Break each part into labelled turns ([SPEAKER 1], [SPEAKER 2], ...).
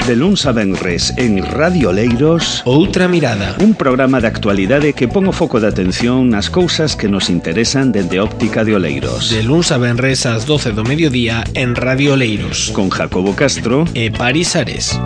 [SPEAKER 1] De luns a venres en Radio Oleiros,
[SPEAKER 2] Outra Mirada,
[SPEAKER 1] un programa de actualidade que pon o foco de atención nas cousas que nos interesan dende óptica de Oleiros.
[SPEAKER 2] De luns a venres ás 12 do mediodía en Radio Oleiros,
[SPEAKER 1] Con Jacobo Castro
[SPEAKER 2] e Paris Ares.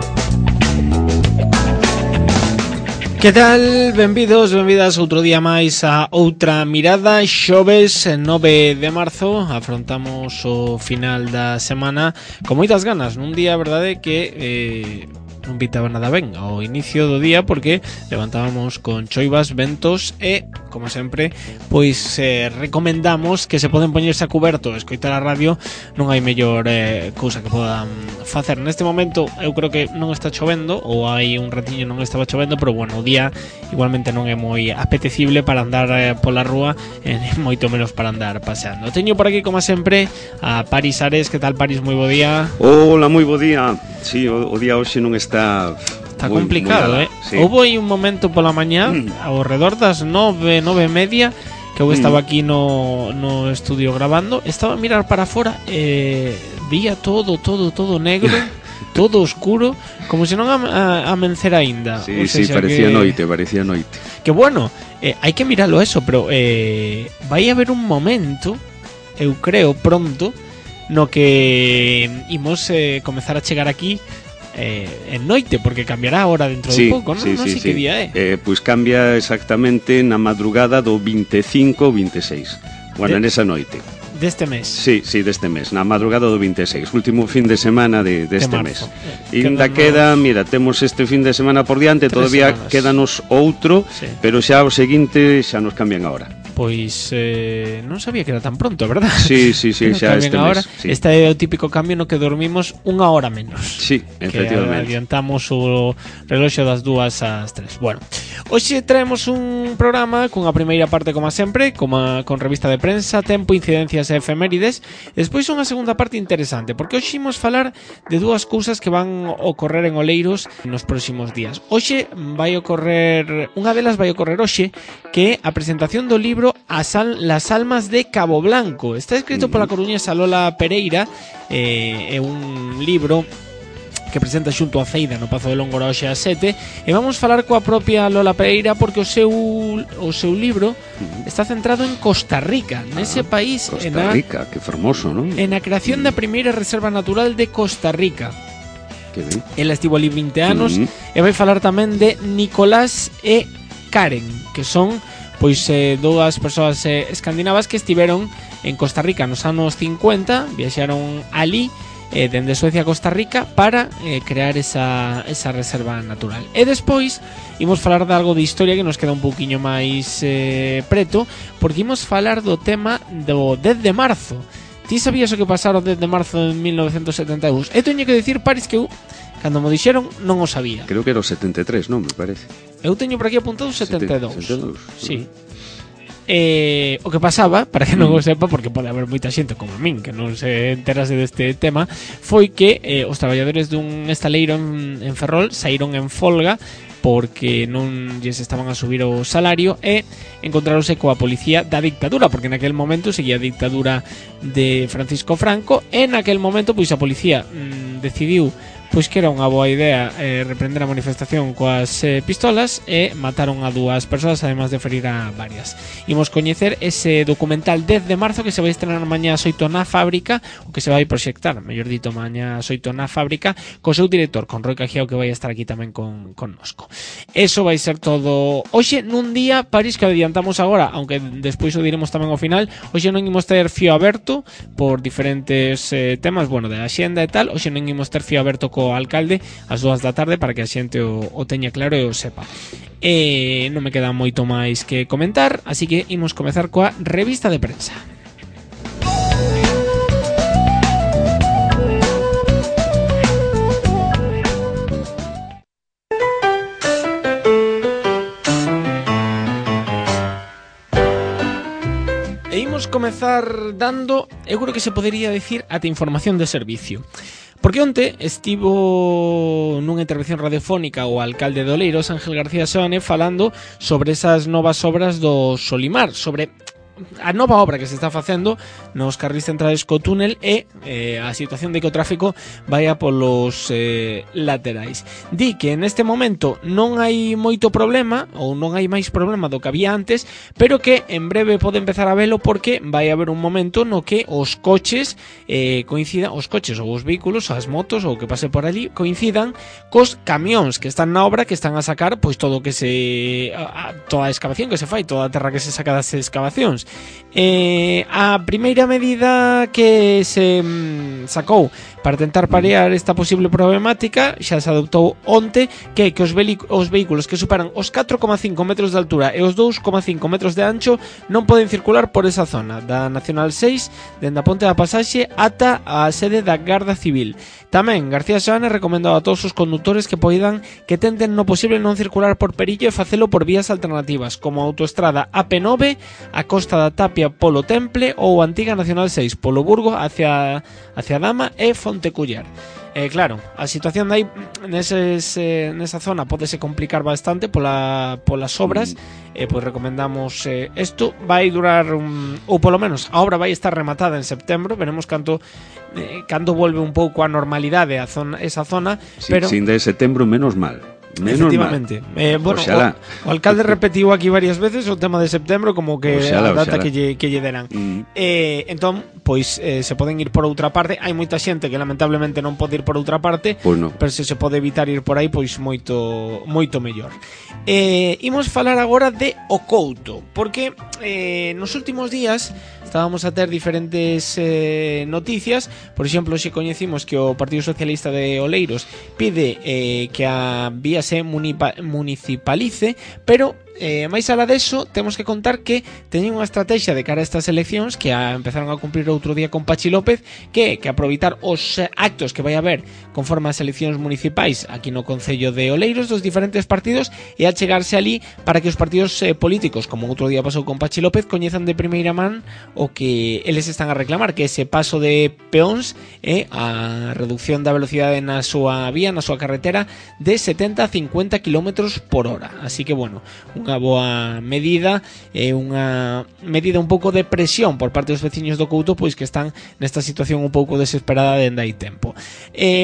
[SPEAKER 2] Que tal? Benvidos, benvidas outro día máis a Outra Mirada. Xoves 9 de marzo, afrontamos o final da semana con moitas ganas, nun día, verdade, que non pitaba nada ben ao inicio do día, porque levantábamos con choivas, ventos e, como sempre, pois recomendamos que se poden poñerse a cuberto e escoitar a radio. Non hai mellor cousa que podan facer. Neste momento eu creo que non está chovendo, ou hai un ratiño non estaba chovendo, pero bueno, o día igualmente non é moi apetecible para andar pola rúa, e moito menos para andar paseando. Teño por aquí, como sempre, a Paris Ares. Que tal, Paris? Moi bo día.
[SPEAKER 3] Hola, moi bo día. Sí, o día hoxe non está moi
[SPEAKER 2] complicado,
[SPEAKER 3] sí.
[SPEAKER 2] Houve aí un momento pola mañá, ao redor das 9 e media, que eu estaba aquí no estudio grabando. Estaba a mirar para fora e vía todo negro, todo oscuro, como se non amencera aínda.
[SPEAKER 3] Sí, sí, parecía noite.
[SPEAKER 2] Que bueno, hai que miralo eso, pero vai haber un momento, eu creo, pronto, no que imos comezar a chegar aquí en noite, porque cambiará a hora dentro de pouco, non? Non sei que día é.
[SPEAKER 3] Pois cambia exactamente na madrugada do 25 ou 26. Bueno, nesa noite.
[SPEAKER 2] Deste mes.
[SPEAKER 3] Sí, deste mes, na madrugada do 26, último fin de semana deste mes. E ainda queda, mira, temos este fin de semana por diante, todavía
[SPEAKER 2] semanas.
[SPEAKER 3] quédanos outro, sí. Pero xa o seguinte xa nos cambian a hora.
[SPEAKER 2] Pois non sabía que era tan pronto, verdad?
[SPEAKER 3] Sí, xa este mes, sí.
[SPEAKER 2] Este é o típico cambio no que dormimos unha hora menos.
[SPEAKER 3] Sí, efectivamente.
[SPEAKER 2] Que adiantamos o reloxo das 2 ás 3. Bueno, hoxe traemos un programa cunha primeira parte, como sempre, con revista de prensa, tempo, incidencias e efemérides. Despois unha segunda parte interesante, porque hoxe imos falar de dúas cousas que van ocorrer en Oleiros nos próximos días. Hoxe vai ocorrer, unha delas vai ocorrer hoxe, que é a presentación do libro Las almas de Cabo Blanco. Está escrito pola coruñesa Lola Pereira, é un libro que presenta xunto a Feida no Pazo de Lóngora hoxe ás 7, e vamos falar coa propia Lola Pereira porque o seu libro está centrado en Costa Rica, nese país.
[SPEAKER 3] Costa Rica, que fermoso, non?
[SPEAKER 2] En a creación da primeira reserva natural de Costa Rica.
[SPEAKER 3] Que ben.
[SPEAKER 2] Ela estivo ali 20 anos e vai falar tamén de Nicolás e Karen, que son pois dúas persoas escandinavas que estiveron en Costa Rica nos anos 50, viaxaron ali dende Suecia a Costa Rica para crear esa reserva natural. E despois imos falar de algo de historia que nos queda un pouquiño máis preto, porque imos falar do tema do 10 de marzo. Ti sabías o que pasara o 10 de marzo de 1972? E teño que dicir, Paris, que eu, cando mo dixeron, non o sabía.
[SPEAKER 3] Creo que era o 73, non, me parece.
[SPEAKER 2] Eu teño por aquí apuntado 72.
[SPEAKER 3] 72.
[SPEAKER 2] Sí. O que pasaba, para que non o sepa, porque pode haber moita xente como a min que non se enterase deste tema, foi que os traballadores dun estaleiro en Ferrol saíron en folga porque non lles estaban a subir o salario e encontráronse coa policía da dictadura, porque naquel momento seguía a dictadura de Francisco Franco, e naquel momento pois a policía decidiu pois que era unha boa idea reprender a manifestación coas pistolas e mataron a dúas persoas, además de ferir a varias. Imos coñecer ese documental 10 de marzo que se vai estrenar mañá ás 8 na Fábrica, o que se vai proxectar, mellor dito, mañá ás 8 na Fábrica, co seu director, con Roi Cajiao, que vai estar aquí tamén connosco. Eso vai ser todo hoxe nun día, París, que adiantamos agora, aunque despois o diremos tamén ao final. Hoxe non imos ter fío aberto por diferentes temas, bueno, de axenda e tal. Hoxe non imos ter fío aberto co alcalde ás 2 da tarde para que a xente o teña claro e o sepa. E non me queda moito máis que comentar, así que imos comezar coa revista de prensa. E imos comezar dando, eu creo que se podería dicir, ata información de servicio. Porque onte estivo nunha intervención radiofónica o alcalde de Oleiros, Ángel García Seoane, falando sobre esas novas obras do Solimar, sobre a nova obra que se está facendo nos carrís centrais co túnel e a situación de que o tráfico vaya polos laterais. Di que neste momento non hai moito problema ou non hai máis problema do que había antes, pero que en breve pode empezar a velo porque vai haber un momento no que os coches coincidan, os coches ou os vehículos, as motos ou que pase por allí coincidan cos camións que están na obra, que están a sacar pois todo o que toda a excavación que se fai, toda a terra que se saca das excavacións. A primeira medida que se sacou para tentar parear esta posible problemática xa se adoptou onte, que os vehículos que superan os 4,5 metros de altura e os 2,5 metros de ancho non poden circular por esa zona da Nacional 6 dende a Ponte da Pasaxe ata a sede da Garda Civil. Tamén García Seoane recomendou a todos os condutores que tenten no posible non circular por Perillo e facelo por vías alternativas como a autoestrada AP9 a Costa da Tapia polo Temple ou a antiga Nacional 6 polo Burgo hacia Dama e Fonteculler. Claro, a situación de aí nesa zona pódese complicar bastante polas obras. Pois recomendamos isto vai durar ou polo menos a obra vai estar rematada en setembro, veremos cando volve un pouco a normalidade esa zona, pero
[SPEAKER 3] sin de setembro menos mal.
[SPEAKER 2] Efectivamente. Bueno, o alcalde repetiu aquí varias veces o tema de setembro como que a data que lle deran. Entón, pois se poden ir por outra parte. Hai moita xente que lamentablemente non pode ir por outra parte,
[SPEAKER 3] pues no.
[SPEAKER 2] Pero se pode evitar ir por aí, pois moito mellor. Imos falar agora de O Couto, porque nos últimos días estábamos a ter diferentes noticias. Por exemplo, se coñecimos que o Partido Socialista de Oleiros pide que a vía se municipalice, pero máis alá deso, temos que contar que teñen unha estrategia de cara a estas eleccións que empezaron a cumprir outro día con Pachi López, que aproveitar os actos que vai haber conforme as eleccións municipais aquí no Concello de Oleiros dos diferentes partidos e achegarse ali para que os partidos políticos, como outro día pasou con Pachi López, coñezan de primeira man o que eles están a reclamar, que ese paso de peóns e a reducción da velocidade na súa vía, na súa carretera de 70 a 50 km por hora. Así que, bueno, unha boa medida e unha medida un pouco de presión por parte dos veciños do Couto, pois que están nesta situación un pouco desesperada dende hai tempo.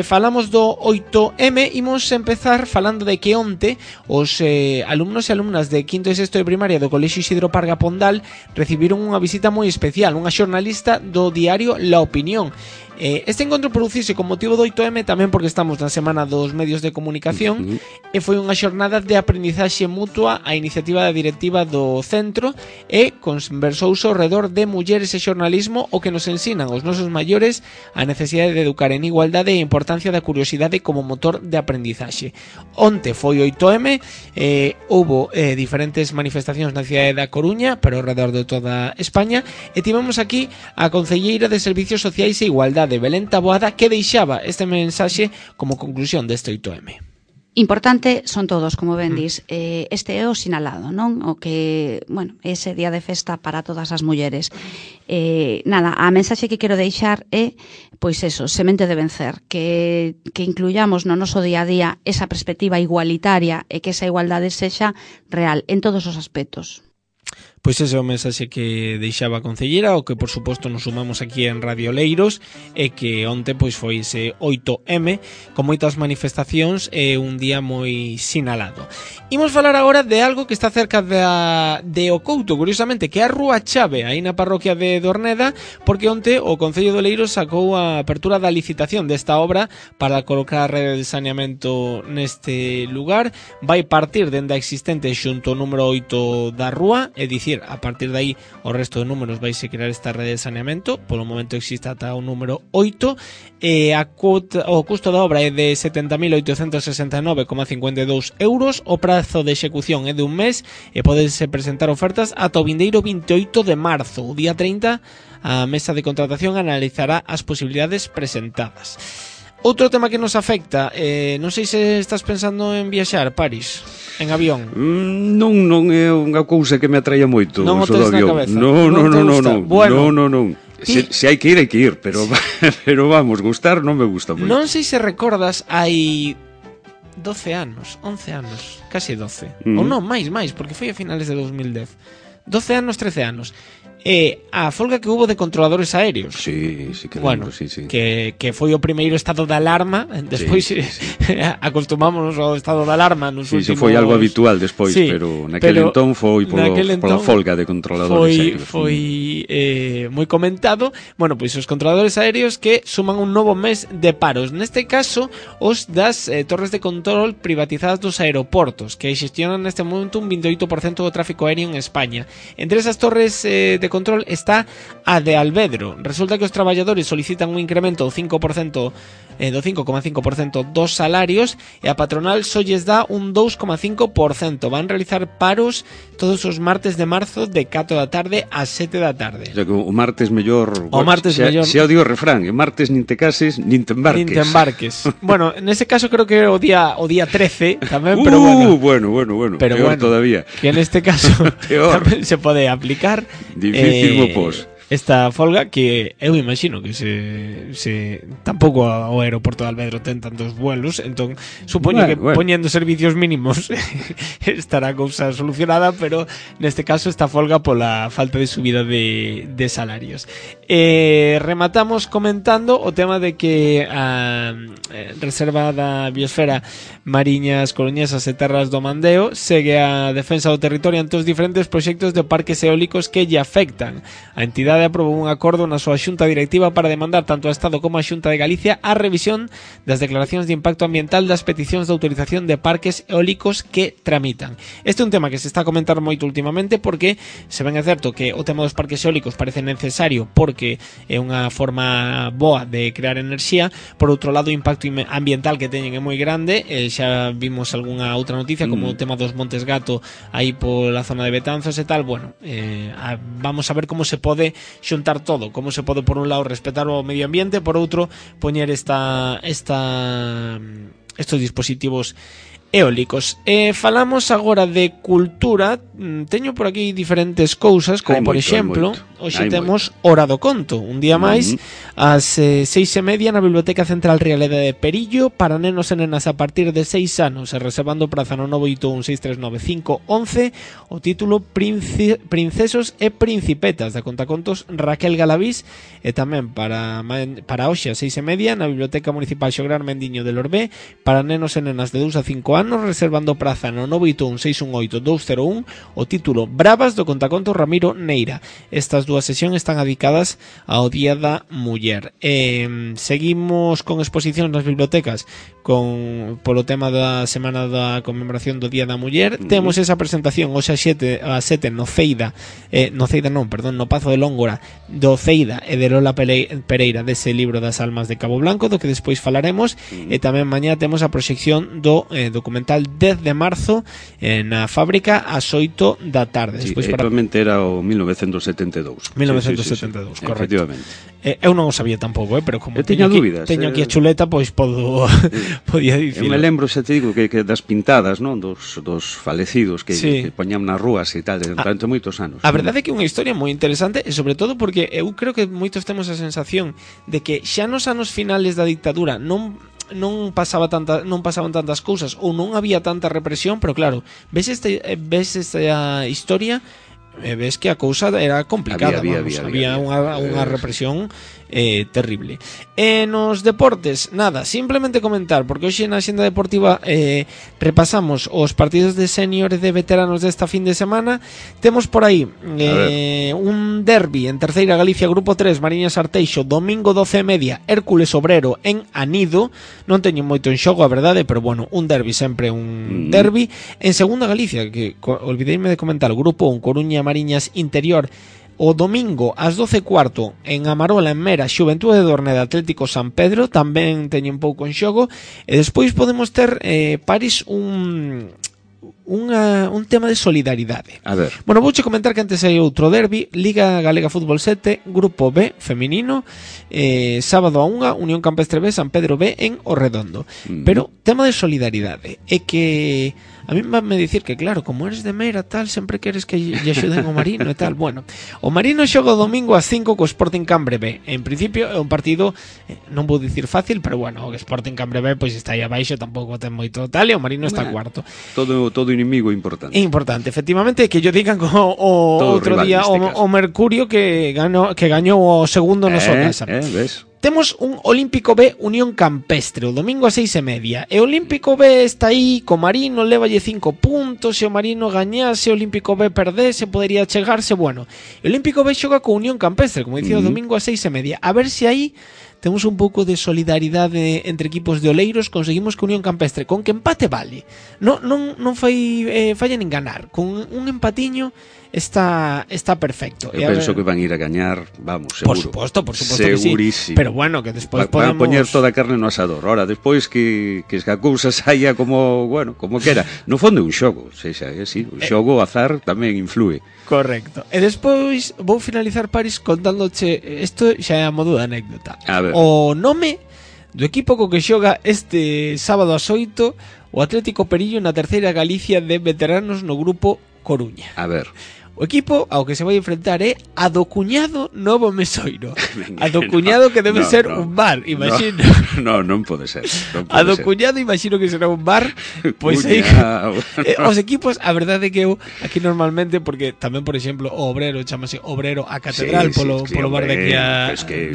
[SPEAKER 2] Falamos do 8M, imos empezar falando de que onte os alumnos e alumnas de quinto e sexto de primaria do Colexio Isidro Parga Pondal recibiron unha visita moi especial, unha xornalista do diario La Opinión. Este encontro producise con motivo do 8M tamén porque estamos na semana dos medios de comunicación e foi unha xornada de aprendizaxe mutua a iniciativa da directiva do centro e conversouse ao redor de mulleres e xornalismo o que nos ensinan os nosos maiores a necesidade de educar en igualdade e a importancia da curiosidade como motor de aprendizaxe. Onte foi 8M, houbo diferentes manifestacións na cidade da Coruña, pero ao redor de toda España, e tivemos aquí a concelleira de Servicios Sociais e Igualdade de Belén Taboada, que deixaba este mensaxe como conclusión deste 8M.
[SPEAKER 4] Importante son todos, como ben dis. Este é o sinalado, non? O que, bueno, ese día de festa para todas as mulleres. Nada, a mensaxe que quero deixar é, pois eso, semente de vencer, que incluyamos no noso día a día esa perspectiva igualitaria e que esa igualdade sexa real en todos os aspectos.
[SPEAKER 2] Pois ese é o mensaxe que deixaba a concelleira, o que por suposto nos sumamos aquí en Radio Oleiros, e que onte pois foi ese 8M con moitas manifestacións e un día moi sinalado. Imos falar agora de algo que está cerca de O Couto, curiosamente, que é a Rúa Chave, aí na parroquia de Dorneda, porque onte o Concello de Oleiros sacou a apertura da licitación desta obra para colocar a rede de saneamento neste lugar. Vai partir dende a existente xunto o número 8 da rúa, é dicir, a partir de aí o resto de números vais a crear esta rede de saneamento. Polo momento existe ata o número 8 e o custo da obra é de 70.869,52 euros. O prazo de execución é de un mes e podense presentar ofertas ata o vindeiro 28 de marzo. O día 30 a mesa de contratación analizará as posibilidades presentadas. Outro tema que nos afecta, non sei se estás pensando en viaxar, Paris, en avión.
[SPEAKER 3] Non é unha cousa que me atraia moito.
[SPEAKER 2] Non o tes na cabeza?
[SPEAKER 3] Non.
[SPEAKER 2] Bueno,
[SPEAKER 3] Non. Se hai que ir, pero vamos, gustar non me gusta moito.
[SPEAKER 2] Non sei se recordas, hai 12 anos, 11 anos, casi 12. Ou non, máis, porque foi a finales de 2010. 12 anos, 13 anos. a folga que hubo de controladores aéreos.
[SPEAKER 3] Sí, sí que
[SPEAKER 2] bueno,
[SPEAKER 3] lembro, sí, sí.
[SPEAKER 2] Que foi o primeiro estado de alarma, despois sí. Acostumámonos ao estado de alarma nos últimos...
[SPEAKER 3] Sí, foi algo habitual despois, sí, pero naquele entón foi pola folga de controladores aéreos.
[SPEAKER 2] Foi moi comentado. Bueno, pois os controladores aéreos que suman un novo mes de paros. Neste caso, os das torres de control privatizadas dos aeroportos, que xestionan neste momento un 28% do tráfico aéreo en España. Entre esas torres de control está a de Alvedro. Resulta que os traballadores solicitan un incremento do 5%, do 5,5% dos salarios, e a patronal só lles dá un 2,5%. Van realizar paros todos os martes de marzo de 4 da tarde a 7 da tarde.
[SPEAKER 3] O sea, que o martes mellor...
[SPEAKER 2] O martes mellor...
[SPEAKER 3] Se o digo refrán, o martes nin te cases, nin te embarques.
[SPEAKER 2] Nin te embarques. Bueno, nese caso creo que o día 13 tamén, pero bueno.
[SPEAKER 3] Pero peor todavía.
[SPEAKER 2] Que neste caso tamén se pode aplicar.
[SPEAKER 3] Difícil mo pos.
[SPEAKER 2] Esta folga que eu imagino que se tampouco o aeroporto de Alvedro ten tantos vuelos, entón supoño que poñendo servicios mínimos estará a cousa solucionada, pero neste caso esta folga pola falta de subida de salarios. Rematamos comentando o tema de que a Reserva da Biosfera Mariñas Coruñesas e Terras do Mandeo segue a defensa do territorio ante os diferentes proxectos de parques eólicos que lle afectan. A entidade aprobou un acordo na súa xunta directiva para demandar tanto ao Estado como á Xunta de Galicia a revisión das declaracións de impacto ambiental das peticións de autorización de parques eólicos que tramitan. Este é un tema que se está a comentar moito últimamente porque se ben é certo que o tema dos parques eólicos parece necesario porque é unha forma boa de crear enerxía, por outro lado o impacto ambiental que teñen é moi grande, xa vimos algunha outra noticia como o tema dos Montes Gato aí pola zona de Betanzos e tal. Bueno, vamos a ver como se pode xuntar todo, como se pode por un lado respetar o medio ambiente, por outro poñer estos dispositivos eólicos. Falamos agora de cultura. Teño por aquí diferentes cousas, como por exemplo, hoxe temos Hora do Conto, un día máis ás 6:30 na Biblioteca Central Realeda de Perillo para nenos e nenas a partir de 6 anos, e reservando praza no 981639511. O título Princesos e Principetas, da contacontos Raquel Galavís, e tamén para hoxe a 6:30 na Biblioteca Municipal Xograr Mendiño de Lorbé para nenos e nenas de 2 a 5 anos, reservando praza no 981618201. O título Bravas, do contaconto Ramiro Neira. Estas dúas sesións están dedicadas ao Día da Muller. Seguimos con exposicións nas bibliotecas polo tema da semana da conmemoración do Día da Muller. Temos esa presentación hoxe a 7 no Pazo de Lóngora do Ceida e de Lola Pereira dese libro das almas de Cabo Blanco, do que despois falaremos. E tamén mañá temos a proxección do documental 10 de marzo na Fábrica ás 8 da tarde.
[SPEAKER 3] Sí, actualmente era o 1972.
[SPEAKER 2] 1972,
[SPEAKER 3] sí,
[SPEAKER 2] correcto.
[SPEAKER 3] Efectivamente.
[SPEAKER 2] Eu non o sabía tampouco, pero como
[SPEAKER 3] teño
[SPEAKER 2] aquí a chuleta, pois podía dicir.
[SPEAKER 3] Eu me lembro, xa te digo, que das pintadas, non, dos falecidos que poñían nas rúas e tal, durante moitos anos.
[SPEAKER 2] A verdade é que é unha historia moi interesante, e sobre todo porque eu creo que moitos temos a sensación de que xa nos anos finales da dictadura non pasaban tantas cousas ou non había tanta represión, pero claro, ves esta historia, ves que a cousa era complicada. Había unha represión terrible. Nos deportes, nada, simplemente comentar, porque hoxe na xenda deportiva repasamos os partidos de senior e de veteranos desta fin de semana. Temos por aí un derbi en Terceira Galicia, Grupo 3, Mariñas Arteixo, domingo 12:30, Hércules Obrero en Anido. Non teño moito en xogo, a verdade, pero bueno, un derbi sempre un derbi. En Segunda Galicia, que olvideime de comentar, Grupo 1, Coruña Mariñas Interior, o domingo ás 12:15 en Amarola, en Mera, Xuventude de Dorneda, Atlético San Pedro, tamén teñen pouco en xogo. E despois podemos ter, París, un tema de solidaridade.
[SPEAKER 3] A ver.
[SPEAKER 2] Bueno, vouche comentar que antes hai outro derbi, Liga Galega Fútbol 7, Grupo B, feminino, sábado a 1, Unión Campestre B, San Pedro B en O Redondo. Pero tema de solidaridade é que a mí me dicir que claro, como eres de Meira tal, sempre queres que lle axuden o Marino e tal. Bueno, o Marino xoga o domingo ás 5 co Sporting Cambre B. En principio é un partido, non vou dicir fácil, pero bueno, o Sporting Cambre B pois está aí abaixo, tampouco ten moito tal, e o Marino está cuarto.
[SPEAKER 3] Todo inimigo importante.
[SPEAKER 2] Importante, efectivamente, que yo digan outro día o Mercurio que gañou o segundo no súa casa.
[SPEAKER 3] Ves?
[SPEAKER 2] Temos un Olímpico B Unión Campestre o domingo a 6:30. E o Olímpico B está aí co Marino, lévalle 5 puntos. Se o Marino gañase, o Olímpico B perdese, podería chegarse. Bueno, o Olímpico B xoga co Unión Campestre, como dicía, o domingo a 6:30. A ver se aí temos un pouco de solidaridade entre equipos de Oleiros. Conseguimos que Unión Campestre, con que empate vale, non falla nin ganar. Con un empatiño está perfecto.
[SPEAKER 3] Eu penso que van ir a gañar, vamos, seguro.
[SPEAKER 2] Por suposto que sí. Pero bueno, que despois
[SPEAKER 3] van
[SPEAKER 2] podemos...
[SPEAKER 3] a poñer toda a carne no asador. Ora, despois que a cousa saia como quera. No fondo é un xogo, un xogo azar tamén influe.
[SPEAKER 2] Correcto. E despois vou finalizar, Paris, contándoche, isto xa é a modo de anécdota. O nome do equipo co que xoga este sábado ás 8 o Atlético Perillo na terceira Galicia de veteranos no grupo Coruña.
[SPEAKER 3] A ver.
[SPEAKER 2] O equipo ao que se vai enfrentar é a do cuñado Novo Mesoiro. A do cuñado que debe ser un bar, imagino.
[SPEAKER 3] Non pode ser.
[SPEAKER 2] A do cuñado imagino que será un bar. Pois aí os equipos, a verdade é que eu aquí normalmente, porque tamén, por exemplo, o Obrero chamase Obrero a Catedral polo bar de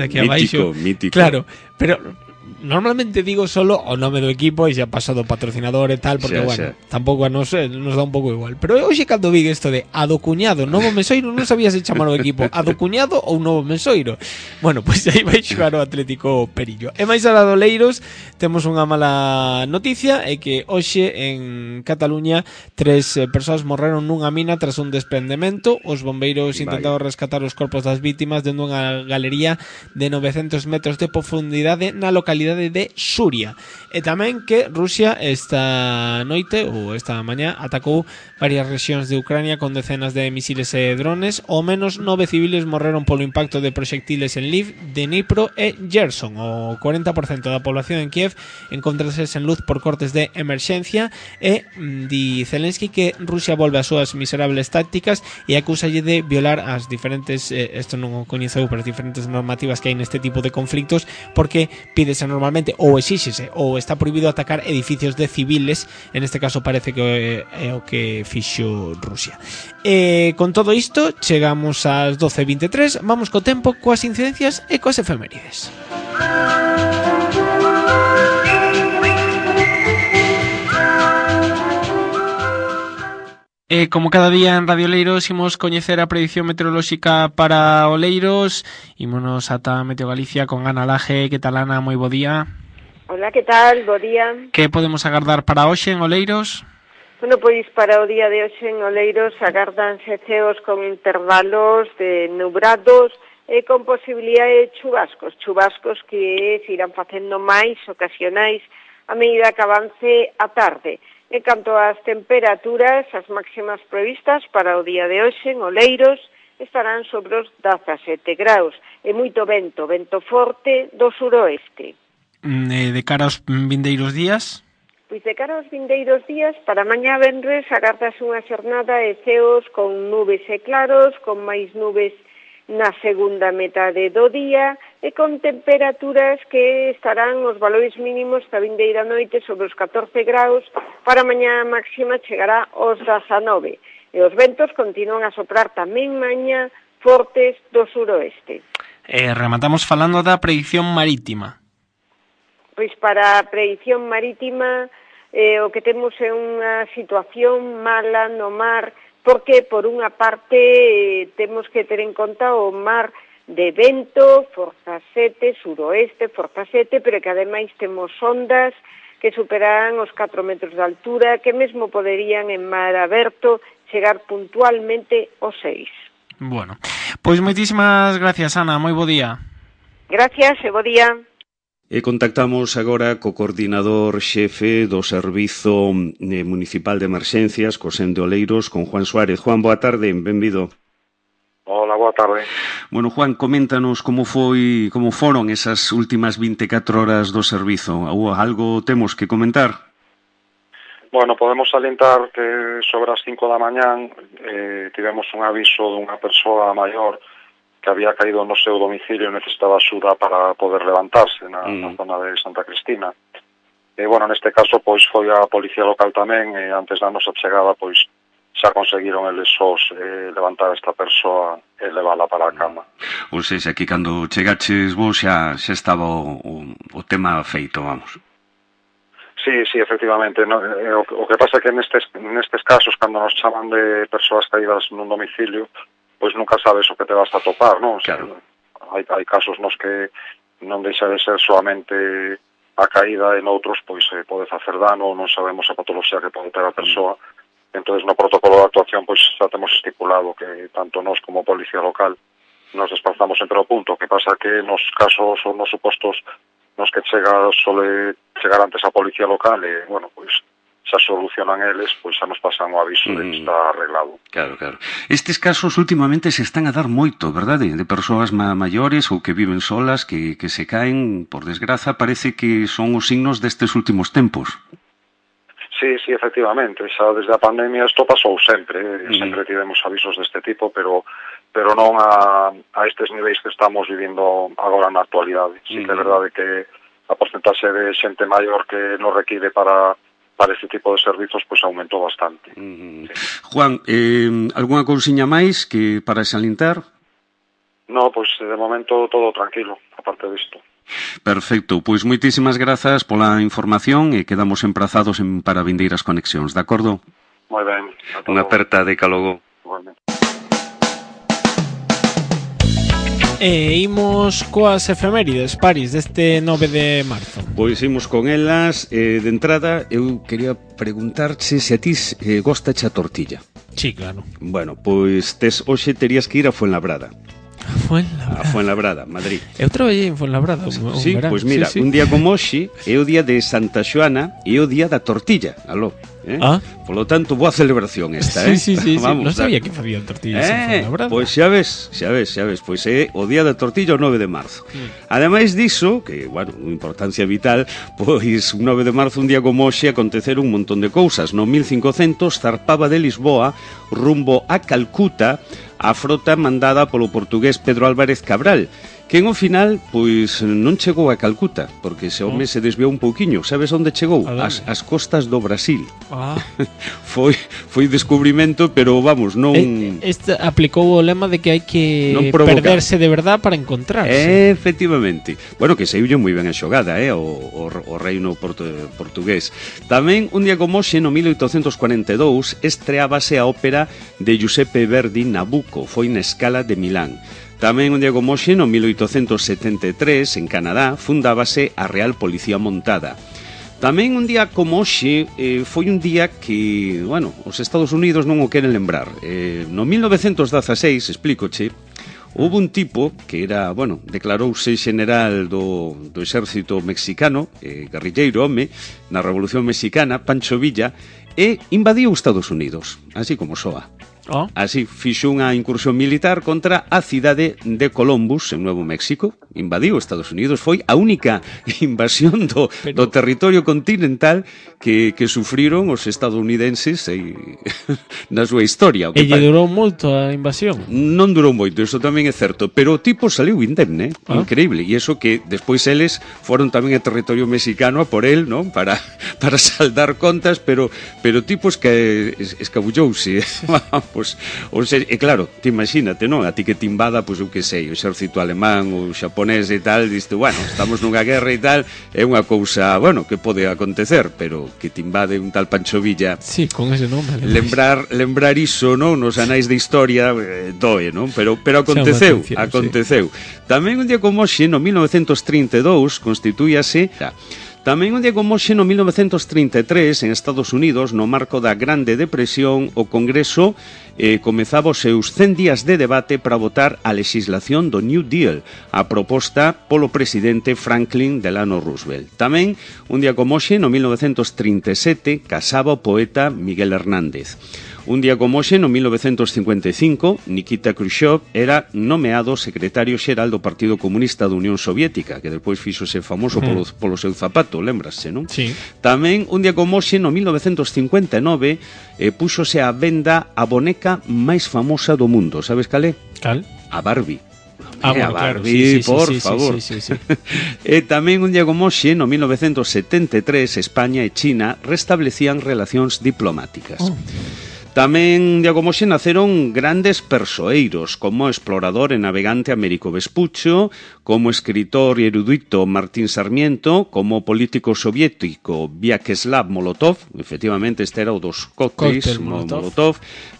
[SPEAKER 2] aquí abaixo.
[SPEAKER 3] Mítico.
[SPEAKER 2] Claro, pero normalmente digo solo o nome do equipo e xa pasado patrocinador e tal, porque tampouco nos dá un pouco igual. Pero hoxe cando vi isto de a do cuñado Novo Mesoiro, non sabía se chamar o equipo a do cuñado ou Novo Mesoiro. Bueno, pois aí vai xogar o Atlético Perillo. E máis alá do Oleiros, temos unha mala noticia, é que hoxe en Cataluña 3 persoas morreron nunha mina tras un desprendemento. Os bombeiros intentaron rescatar os corpos das vítimas dende unha galería de 900 metros de profundidade na localidade de Suria. E tamén que Rusia esta noite ou esta mañá atacou varias rexións de Ucrania con decenas de misiles e drones. Ao menos 9 civiles morreron polo impacto de proxectiles en Lviv, Dnipro e Gerson. O 40% da población en Kiev encontrase sen luz por cortes de emerxencia e di Zelensky que Rusia volve as súas miserables tácticas e acúsalle de violar as diferentes, isto non o coñeceu, pero as diferentes normativas que hai neste tipo de conflictos, porque pídese normalmente ou exíxese ou está prohibido atacar edificios de civiles. En este caso parece que é o que fixo Rusia. Con todo isto chegamos ás 12:23. Vamos co tempo, coas incidencias e coas efemérides. Como cada día en Radio Oleiros imos coñecer a predición meteorolóxica para Oleiros. Ímonos ata Meteo Galicia con Ana Laje. Que tal, Ana? Moi bo día.
[SPEAKER 5] Hola, que tal? Bo día.
[SPEAKER 2] Que podemos agardar para hoxe en Oleiros?
[SPEAKER 5] Bueno, pois para o día de hoxe en Oleiros agardanse ceos con intervalos de nubrados e con posibilidade de chubascos que se irán facendo máis ocasionais a medida que avance a tarde. En canto ás temperaturas, as máximas previstas para o día de hoxe en Oleiros estarán sobre os 17 graus e moito vento forte do suroeste.
[SPEAKER 2] De cara aos vindeiros días?
[SPEAKER 5] Pois de cara aos vindeiros días, para mañá venres agardase unha xornada de ceos con nubes e claros, con máis nubes na segunda metade do día e con temperaturas que estarán os valores mínimos da vindeira noite sobre os 14 graus. Para mañá a máxima chegará aos 19 e os ventos continúan a soprar tamén mañá fortes do suroeste.
[SPEAKER 2] Rematamos falando da predicción marítima.
[SPEAKER 5] Pois para a predicción marítima o que temos é unha situación mala no mar, porque por unha parte temos que ter en conta o mar de vento, forza 7, suroeste, forza 7, pero que ademais temos ondas que superarán os 4 metros de altura, que mesmo poderían en mar aberto chegar puntualmente aos 6.
[SPEAKER 2] Bueno, pois moitísimas gracias, Ana, moi bo día.
[SPEAKER 5] Gracias e bo día.
[SPEAKER 3] E contactamos agora co coordinador xefe do Servizo Municipal de Emerxencias, co SEM de Oleiros, con Juan Suárez. Juan, boa tarde, benvido.
[SPEAKER 6] Hola, boa tarde.
[SPEAKER 3] Bueno, Juan, coméntanos como foron esas últimas 24 horas do servizo. Algo temos que comentar?
[SPEAKER 6] Bueno, podemos salientar que sobre as 5 da mañán tivemos un aviso dunha persoa maior que había caído no seu domicilio e necesitaba axuda para poder levantarse na zona de Santa Cristina. bueno, neste caso, pois, foi a policía local tamén, e antes da nosa chegada, pois, xa conseguiron eles sós levantar a esta persoa e levála para a cama.
[SPEAKER 3] Ou seja, aquí cando chegaches vos xa estaba o tema feito, vamos.
[SPEAKER 6] Sí, efectivamente. No, o que pasa é que nestes casos, cando nos chaman de persoas caídas nun domicilio, pois nunca sabes o que te vas a topar, non?
[SPEAKER 3] Claro.
[SPEAKER 6] Hai casos nos que non deixa de ser solamente a caída, e noutros pois pode facer dano, non sabemos a patoloxía que pode ter a persoa. Entonces, no protocolo de actuación, pois xa temos estipulado que tanto nós como a policía local nos desplazamos sempre ao punto. O que pasa que nos casos ou nos supostos nos que sole chegar antes a policía local, e, bueno, pois xa solucionan eles, pois xa nos pasan o aviso de que está arreglado.
[SPEAKER 3] Claro. Estes casos últimamente se están a dar moito, verdade? De persoas maiores ou que viven solas, que se caen, por desgraza, parece que son os signos destes últimos tempos.
[SPEAKER 6] Sí, efectivamente. Xa desde a pandemia isto pasou sempre. Sempre tivemos avisos deste tipo, pero non a estes niveis que estamos vivindo agora na actualidade. Sí que é verdade que a porcentaxe de xente maior que nos require para este tipo de servizos pois aumentou bastante. Sí.
[SPEAKER 3] Juan, algunha cousiña máis que para salientar?
[SPEAKER 6] No, pois de momento todo tranquilo, aparte disto.
[SPEAKER 3] Perfecto, pois moitísimas grazas pola información e quedamos emprazados para vindeiras conexións, de acordo?
[SPEAKER 6] Moi ben.
[SPEAKER 3] Unha aperta de calogo.
[SPEAKER 6] Igualmente.
[SPEAKER 2] E imos coas efemérides, Paris, deste 9 de marzo.
[SPEAKER 3] Pois imos con elas. De entrada, eu quería preguntarche se a ti gostache a tortilla.
[SPEAKER 2] Sí, claro.
[SPEAKER 3] Bueno, pois hoxe terías que ir a Fuenlabrada.
[SPEAKER 2] Fuenlabrada.
[SPEAKER 3] A Fuenlabrada, Madrid.
[SPEAKER 2] Eu traballei en Fuenlabrada un
[SPEAKER 3] sí,
[SPEAKER 2] verán.
[SPEAKER 3] Pois mira, sí. Un día como hoxe é o día de Santa Xoana e o día da tortilla. Aló. Polo tanto, boa celebración esta,
[SPEAKER 2] Sí. Vamos, non sabía que facían tortillas en Fuenlabrada.
[SPEAKER 3] Pois xa ves. Pois é o día da tortilla o 9 de marzo. Ademais diso, que, bueno, unha importancia vital, pois un 9 de marzo, un día como hoxe, aconteceron un montón de cousas. No 1500 zarpaba de Lisboa rumbo a Calcuta a frota mandada polo portugués Pedro Álvarez Cabral, que ao final, pois, non chegou a Calcuta, porque ese home se desviou un pouquiño. Sabes onde chegou? As costas do Brasil. Foi descubrimento, pero vamos, non...
[SPEAKER 2] Aplicou o lema de que hai que perderse de verdad para encontrarse.
[SPEAKER 3] Efectivamente. Bueno, que saiulle moi ben a xogada, o reino portugués. Tamén, un día como hoxe, no 1842, estreábase a ópera de Giuseppe Verdi, Nabucco. Foi na Scala de Milán. Tamén un día como hoxe, no 1873, en Canadá, fundábase a Real Policía Montada. Tamén un día como hoxe foi un día que, bueno, os Estados Unidos non o queren lembrar. No 1916, explícoche, houve un tipo que era, bueno, declarouse general do exército mexicano, guerrilleiro home, na Revolución Mexicana, Pancho Villa, e invadiu os Estados Unidos, así como soa. Así, fixo unha incursión militar contra a cidade de Columbus, en Nuevo México. Invadiu Estados Unidos. Foi a única invasión do territorio continental que sufriron os estadounidenses na súa historia.
[SPEAKER 2] E lle durou moito a invasión?
[SPEAKER 3] Non durou moito, iso tamén é certo, pero o tipo saliu indemne, increíble. E iso que despois eles foron tamén a territorio mexicano a por el, non? Para saldar contas, pero o tipo escabullouse. Pois, e claro, te imagínate, non? A ti que te invada, pois eu que sei, o exército alemán, o xaponés e tal, diste, bueno, estamos nunha guerra e tal, é unha cousa, bueno, que pode acontecer, pero que te invade un tal Pancho Villa.
[SPEAKER 2] Sí, con ese nome.
[SPEAKER 3] Lembrar iso, non? Nos anais de historia doe, non? Pero aconteceu. Sí. Tamén un día como hoxe, no 1932, constitúyase... Tamén un día como hoxe, no 1933, en Estados Unidos, no marco da Grande Depresión, o Congreso comezaba os seus 100 días de debate para votar a legislación do New Deal, a proposta polo presidente Franklin Delano Roosevelt. Tamén, un día como hoxe, no 1937, casaba o poeta Miguel Hernández. Un día como hoxe, no 1955, Nikita Khrushchev era nomeado secretario xeral do Partido Comunista da Unión Soviética, que despois fíxose famoso polo seu zapato, lembrase, non?
[SPEAKER 2] Sí.
[SPEAKER 3] Tamén, un día como hoxe, no 1959, púxose á venda a boneca máis famosa do mundo. Sabes cal é?
[SPEAKER 2] Cal?
[SPEAKER 3] A Barbie.
[SPEAKER 2] bueno,
[SPEAKER 3] a
[SPEAKER 2] claro,
[SPEAKER 3] Barbie,
[SPEAKER 2] sí,
[SPEAKER 3] por
[SPEAKER 2] sí,
[SPEAKER 3] favor.
[SPEAKER 2] sí.
[SPEAKER 3] E tamén un día como hoxe, no 1973, España e China restablecían relacións diplomáticas. Tamén, de como xe, naceron grandes persoeiros, como o explorador e navegante Américo Vespuccio, como escritor e erudito Martín Sarmiento, como político soviético Vyacheslav Molotov, efectivamente este era o dos cócteis Molotov.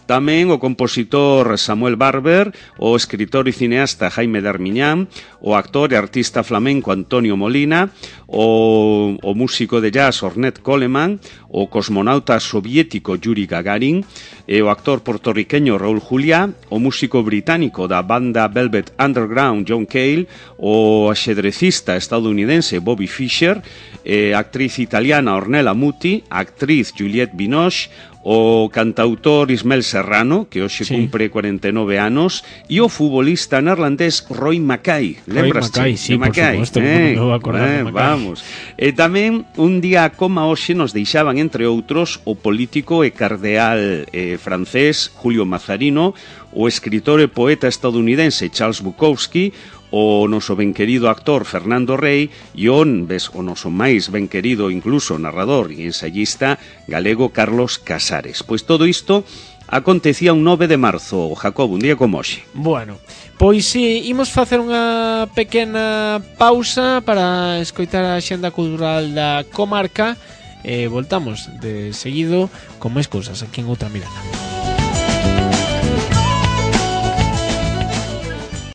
[SPEAKER 3] Tamén o compositor Samuel Barber, o escritor e cineasta Jaime Darmiñán, o actor e artista flamenco Antonio Molina, o músico de jazz Ornette Coleman, o cosmonauta soviético Yuri Gagarin, e o actor puertorriqueño Raúl Juliá, o músico británico da banda Velvet Underground John Cale, o axedrecista estadounidense Bobby Fischer, a actriz italiana Ornella Muti, a actriz Juliette Binoche, o cantautor Ismael Serrano, que hoxe cumpre 49 anos, e o futbolista neerlandés Roy Mackay. Lembras?
[SPEAKER 2] Roy Mackay, sí, por suposto, me vou acordar de Mackay.
[SPEAKER 3] Vamos. E tamén, un día como hoxe nos deixaban, entre outros, o político e cardeal francés Julio Mazarino, o escritor e poeta estadounidense Charles Bukowski, o noso ben querido actor Fernando Rey e o noso máis ben querido incluso narrador e ensayista galego Carlos Casares. Pois todo isto acontecía un 9 de marzo, Jacob, un día como hoxe.
[SPEAKER 2] Bueno, pois imos facer unha pequena pausa para escoitar a xenda cultural da comarca e voltamos de seguido con máis cousas aquí en Outra Mirada.